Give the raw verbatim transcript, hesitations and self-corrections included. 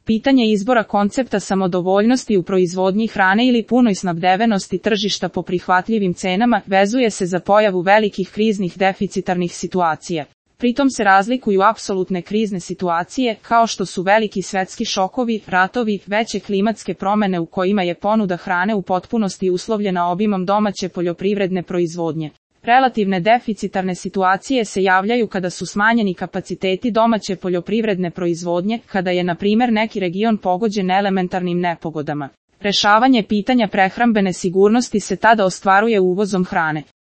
Pitanje izbora koncepta samodovoljnosti u proizvodnji hrane ili punoj snabdevenosti tržišta po prihvatljivim cenama vezuje se za pojavu velikih kriznih deficitarnih situacija. Pritom se razlikuju apsolutne krizne situacije, kao što su veliki svetski šokovi, ratovi, veće klimatske promjene u kojima je ponuda hrane u potpunosti uslovljena obimom domaće poljoprivredne proizvodnje. Relativne deficitarne situacije se javljaju kada su smanjeni kapaciteti domaće poljoprivredne proizvodnje, kada je na primjer neki region pogođen elementarnim nepogodama. Rešavanje pitanja prehrambene sigurnosti se tada ostvaruje uvozom hrane.